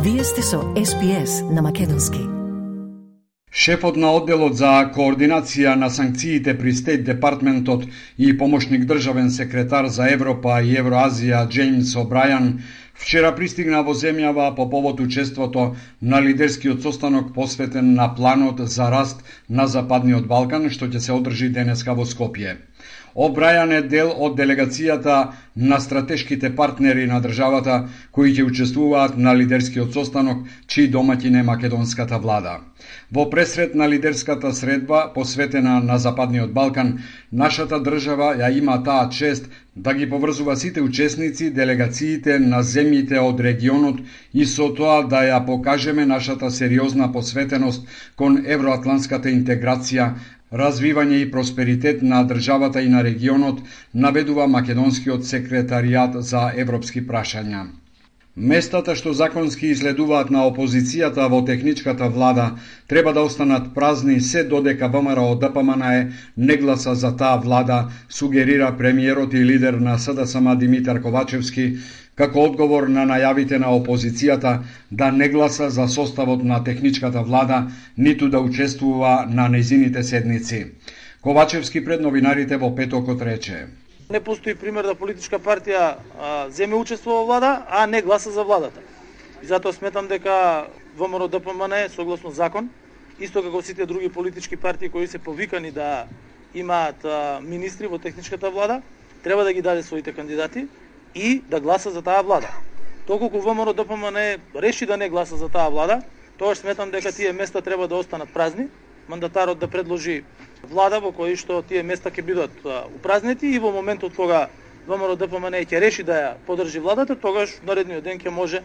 Вие сте со SPS на македонски. Шефот на одделот за координација на санкциите при Стейт Департментот и помошник државен секретар за Европа и Евроазија Джеймс О'Брајан вчера пристигна во земјава по повод учеството на лидерскиот состанок посветен на планот за раст на Западниот Балкан, што ќе се одржи денеска во Скопје. О'Брајан е дел од делегацијата на стратешките партнери на државата кои ќе учествуваат на лидерскиот состанок, чиј домаќин е македонската влада. Во пресред на лидерската средба посветена на Западниот Балкан, нашата држава ја има таа чест да ги поврзува сите учесници, делегациите на земјите од регионот и со тоа да ја покажеме нашата сериозна посветеност кон евроатлантската интеграција, развивање и просперитет на државата и на регионот, наведува македонскиот секретаријат за европски прашања. Местата што законски изследуваат на опозицијата во техничката влада треба да останат празни се додека ВМРО-ДПМНЕ не гласа за таа влада, сугерира премиерот и лидер на СДСМ Димитар Ковачевски, како одговор на најавите на опозицијата да не гласа за составот на техничката влада, ниту да учествува на нејзините седници. Ковачевски пред новинарите во петокот рече: Не постои пример да политичка партија земе учество во влада, а не гласа за владата. И затоа сметам дека ВМРО-ДПМНЕ согласно закон, исто како сите други политички партии кои се повикани да имаат министри во техничката влада, треба да ги даде своите кандидати и да гласа за таа влада. Доколку ВМРО-ДПМНЕ реши да не гласа за таа влада, тогаш сметам дека тие места треба да останат празни, мандатарот да предложи влада во кој што тие места ќе бидат упразнети и во моментот кога ВМРО-ДПМНЕ ќе реши да ја поддржи владата, тогаш наредниот ден ќе може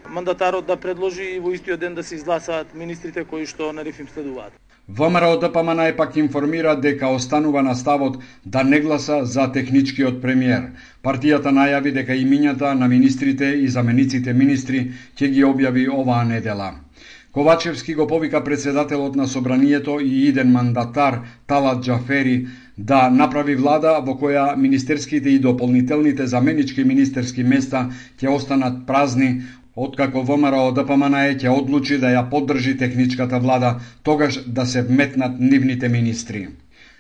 мандатарот да предложи и во истиот ден да се изгласаат министрите кои што на рефим следуваат. ВМРО-ДПМНЕ пак информира дека останува на ставот да не гласа за техничкиот премиер. Партијата најави дека имињата на министрите и замениците министри ќе ги објави оваа недела. Ковачевски го повика председателот на собранието и иден мандатар Талат Џафери да направи влада во која министерските и дополнителните заменички министерски места ќе останат празни, откако ВМРО-ДПМНЕ ќе одлучи да ја поддржи техничката влада, тогаш да се вметнат нивните министри.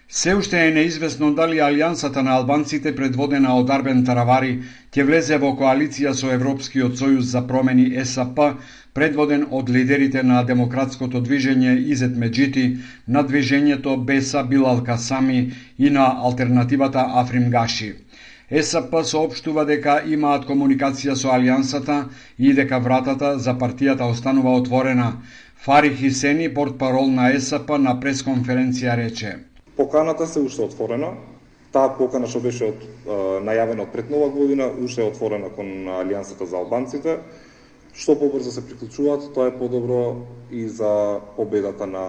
Се уште е неизвестно дали алијансата на албанците предводена од Арбен Таравари ќе влезе во коалиција со Европскиот сојуз за промени ЕСП, предводен од лидерите на демократското движење Изет Меджити, на движењето Беса Билал Касами и на алтернативата Африм Гаши. ЕСП соопштува дека имаат комуникација со алијансата и дека вратата за партијата останува отворена. Фари Хисени, портпарол на ЕСП, на пресконференција рече: Поканата се уште отворена. Таа покана што беше најавена од пред нова година, уште е отворена кон Алијансата за албанците. Што побрзо се приклучуваат, тоа е подобро и за победата на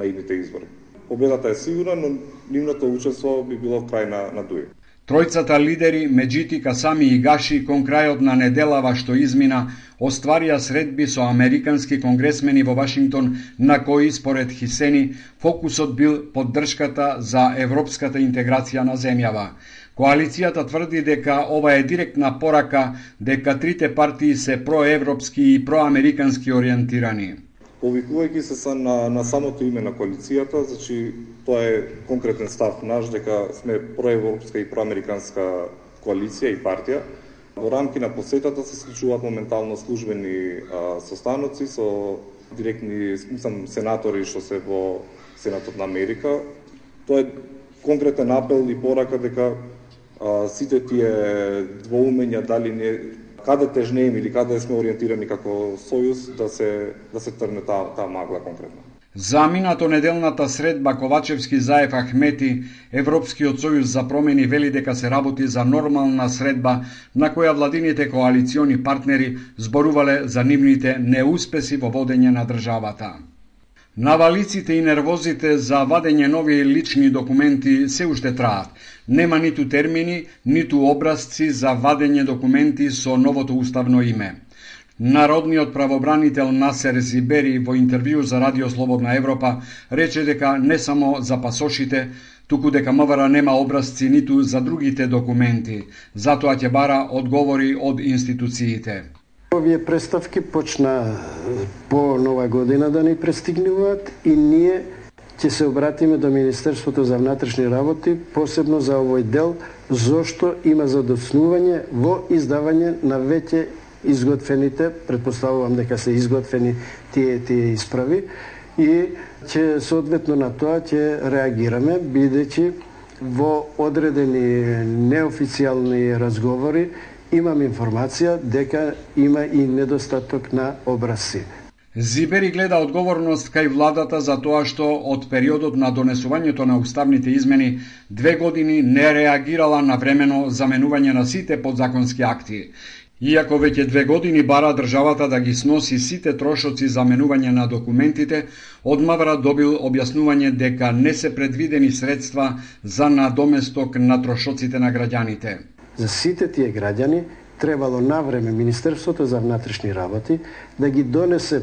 идните избори. Победата е сигурна, но нивното учество би било крај на дуј. Тројцата лидери, Меджити, Касами и Гаши, кон крајот на неделава што измина, остварија средби со американски конгресмени во Вашингтон, на кои, според Хисени, фокусот бил поддршката за европската интеграција на земјава. Коалицијата тврди дека ова е директна порака дека трите партии се проевропски и проамерикански ориентирани. Повикувајќи се на самото име на коалицијата, значи тоа е конкретен став наш дека сме проевропска и проамериканска коалиција и партија. Во рамки на посетата се склучуваат моментално службени состаноци со директни сенатори што се во Сенатот на Америка. Тоа е конкретен апел и порака дека сите тие двоумења дали не каде тежнеем или каде сме ориентирани како сојуз да се трне таа магла конкретно. За минато неделната средба Ковачевски заев Ахмети, Европскиот сојуз за промени вели дека се работи за нормална средба на која владините коалициони партнери зборувале за нивните неуспеси во водење на државата. Навалиците и нервозите за вадење нови лични документи се уште траат. Нема ниту термини, ниту образци за вадење документи со новото уставно име. Народниот правобранител Насер Зибери во интервју за Радио Слободна Европа рече дека не само за пасошите, туку дека МВР нема образци ниту за другите документи. Затоа ќе бара одговори од институциите. Овие представки почна по нова година да ни пристигнуваат и ние ќе се обратиме до Министерството за внатрешни работи, посебно за овој дел, зошто има задоцнување во издавање на веќе изготвените, предпоставувам дека се изготвени тие исправи, и ќе соодветно на тоа ќе реагираме, бидејќи во одредени неофицијални разговори имам информација дека има и недостаток на образци. Зибери гледа одговорност кај владата за тоа што од периодот на донесувањето на уставните измени 2 години не реагирала на времено заменување на сите подзаконски акти. Иако веќе 2 години бара државата да ги сноси сите трошоци за менување на документите, одмавра добил објаснување дека не се предвидени средства за надоместок на трошоците на граѓаните. За сите тие граѓани требало навреме Министерството за внатрешни работи да ги донесе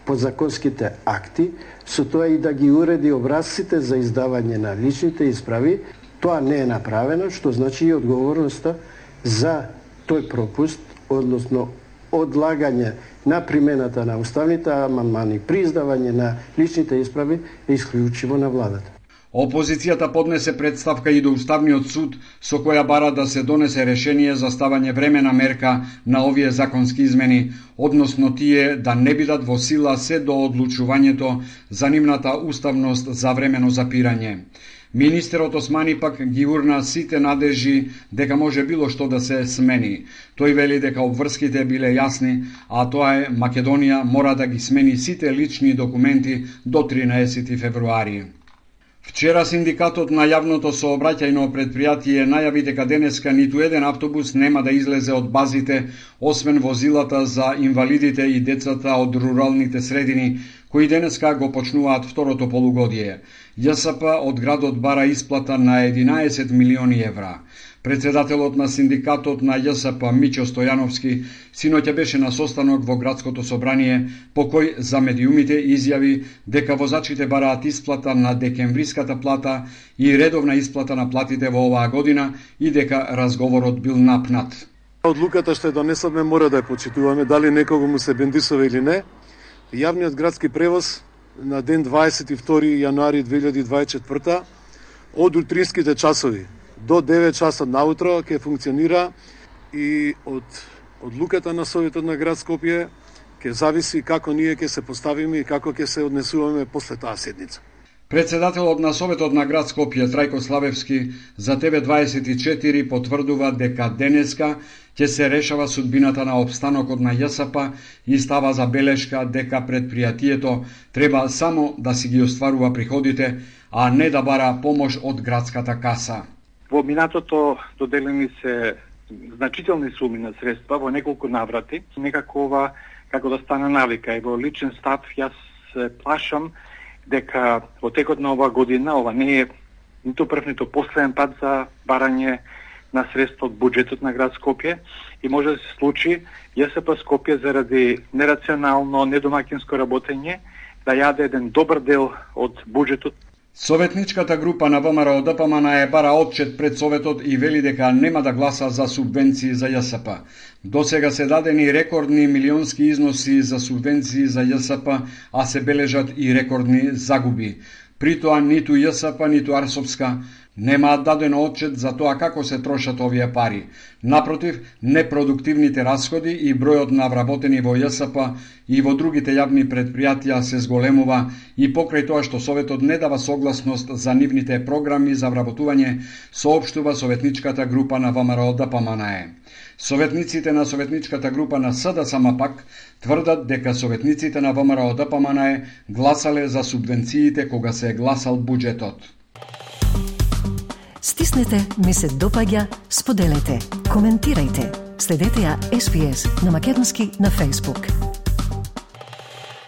подзаконските акти, со тоа и да ги уреди образците за издавање на личните исправи. Тоа не е направено, што значи и одговорноста за тој пропуст, односно одлагање на примената на уставните амандмани при издавање на личните исправи е исклучиво на владата. Опозицијата поднесе представка и до Уставниот суд со која бара да се донесе решение за ставање времена мерка на овие законски измени, односно тие да не бидат во сила се до одлучувањето за нивната уставност за времено запирање. Министерот Османи пак ги урна сите надежи дека може било што да се смени. Тој вели дека обврските биле јасни, а тоа е Македонија мора да ги смени сите лични документи до 13 февруари. Вчера синдикатот на јавното сообраќајно предпријатие најави дека денеска ниту еден автобус нема да излезе од базите, освен возилата за инвалидите и децата од руралните средини, кои денеска го почнуваат второто полугодие. ЈСП од градот бара исплата на 11 милиони евра. Председателот на синдикатот на ЈСП Мичо Стојановски синоќа беше на состанок во градското собрание, по кој за медиумите изјави дека возачите бараат исплата на декемвриската плата и редовна исплата на платите во оваа година и дека разговорот бил напнат. Одлуката што ја донесовме мора да ја почитуваме, дали некого му се бендисува или не. Јавниот градски превоз на ден 22 јануари 2024 од утринските часови до 9 часа наутро ќе функционира и од одлуката на Советот на град Скопје ќе зависи како ние ќе се поставиме и како ќе се однесуваме после таа седница. Председателот на Советот на град Скопје Трајко Славевски за ТВ24 потврдува дека денеска ќе се решава судбината на обстанокот на ЈСП и става забелешка дека предпријатието треба само да си ги остварува приходите, а не да бара помош од градската каса. Во минатото доделени се значителни суми на средства во неколку наврати. Некако ова како да стане навика и во личен став јас се плашам дека во текот на оваа година ова не е ниту прв ниту последен пат за барање на средства од буџетот на град Скопје и може да се случи ЈСП Скопје заради нерационално, недомакинско работење да јаде еден добар дел од буџетот. Советничката група на ВМРО ДПМН е бара отчет пред Советот и вели дека нема да гласа за субвенции за ЈСП. Досега се дадени рекордни милионски износи за субвенции за ЈСП, а се бележат и рекордни загуби. При тоа ниту ЈСП, ниту Арсовска немаат дадено отчет за тоа како се трошат овие пари. Напротив, непродуктивните расходи и бројот на вработени во ЈСП и во другите јавни предпријатија се зголемува и покрај тоа што Советот не дава согласност за нивните програми за вработување, соопштува Советничката група на ВМРО ДПМН. Советниците на Советничката група на СДСМ пак тврдат дека советниците на ВМРО ДПМН гласале за субвенциите кога се гласал буџетот. Стиснете, ми се допаѓа, споделете, коментирајте. Следете ја SPS на Македонски на Facebook.